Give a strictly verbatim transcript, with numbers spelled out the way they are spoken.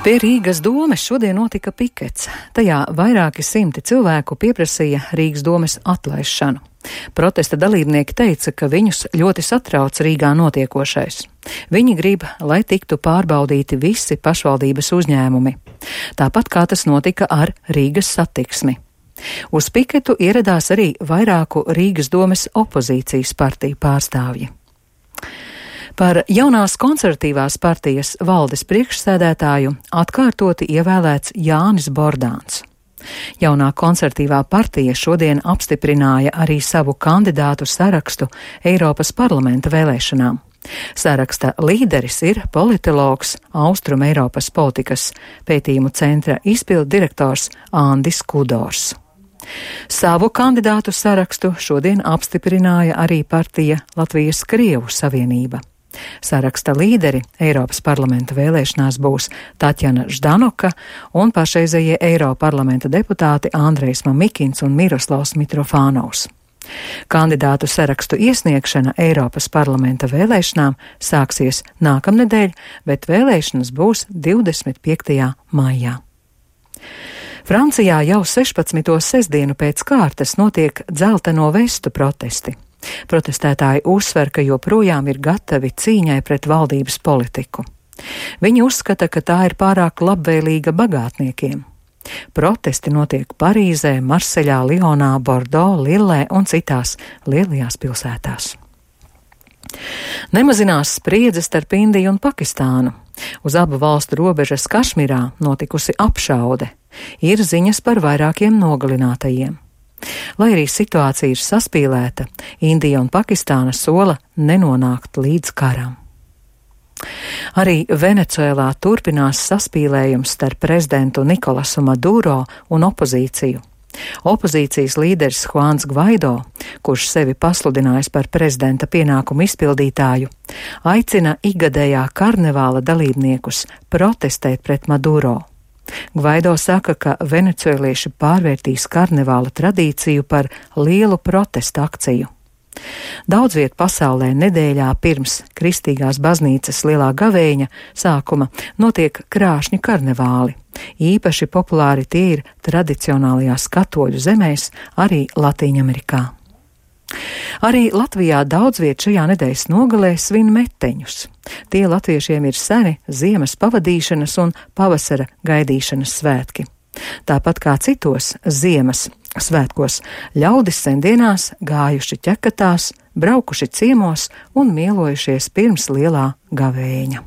Pie Rīgas domes šodien notika pikets. Tajā vairāki simti cilvēku pieprasīja Rīgas domes atlaišanu. Protesta dalībnieki teica, ka viņus ļoti satrauc Rīgā notiekošais. Viņi grib, lai tiktu pārbaudīti visi pašvaldības uzņēmumi. Tāpat kā tas notika ar Rīgas satiksmi. Uz piketu ieradās arī vairāku Rīgas domes opozīcijas partiju pārstāvji. Par jaunās konservatīvās partijas valdes priekšsēdētāju atkārtoti ievēlēts Jānis Bordāns. Jaunā konservatīvā partija šodien apstiprināja arī savu kandidātu sarakstu Eiropas parlamenta vēlēšanām. Saraksta līderis ir politologs, Austrum Eiropas politikas pētījumu centra izpildu direktors Andis Kudors. Savu kandidātu sarakstu šodien apstiprināja arī partija Latvijas Krievu savienība. Saraksta līderi Eiropas parlamenta vēlēšanās būs Taķjana Ždanoka un pašreizējie Eiroparlamenta deputāti Andrejs Mamikins un Miroslavs Mitrofānovs. Kandidātu sarakstu iesniegšana Eiropas parlamenta vēlēšanām sāksies nākamnedēļ, bet vēlēšanas būs divdesmit piektajā maijā. Francijā jau sešpadsmito sestdienu pēc kārtas notiek dzelteno vestu protesti. Protestētāji uzsver, ka joprojām ir gatavi cīņai pret valdības politiku. Viņi uzskata, ka tā ir pārāk labvēlīga bagātniekiem. Protesti notiek Parīzē, Marseļā, Lionā, Bordo, Lillē un citās lielajās pilsētās. Nemazinās spriedze starp Indiju un Pakistānu. Uz abu valstu robežas Kašmirā notikusi apšaude. Ir ziņas par vairākiem nogalinātajiem. Lai arī situācija ir saspīlēta, Indija un Pakistāna sola nenonākt līdz karam. Arī Venecuēlā turpinās saspīlējums starp prezidentu Nikolasu Maduro un opozīciju. Opozīcijas līderis Juans Gvaido, kurš sevi pasludinājis par prezidenta pienākumu izpildītāju, aicina ikgadējā karnevāla dalībniekus protestēt pret Maduro. Gvaido saka, ka venecuēlieši pārvērtīs karnevāla tradīciju par lielu protestu akciju. Daudz viet pasaulē nedēļā pirms Kristīgās baznīcas lielā gavēņa sākuma notiek krāšņi karnevāli. Īpaši populāri tie ir tradicionālajās katoļu zemēs, arī Latīņamerikā. Arī Latvijā daudz viet šajā nedēļas nogalē svin meteņus. Tie latviešiem ir seni ziemas pavadīšanas un pavasara gaidīšanas svētki. Tāpat kā citos ziemas svētkos, ļaudis sendienās gājuši ķekatās, braukuši ciemos un mielojušies pirms lielā gavēņa.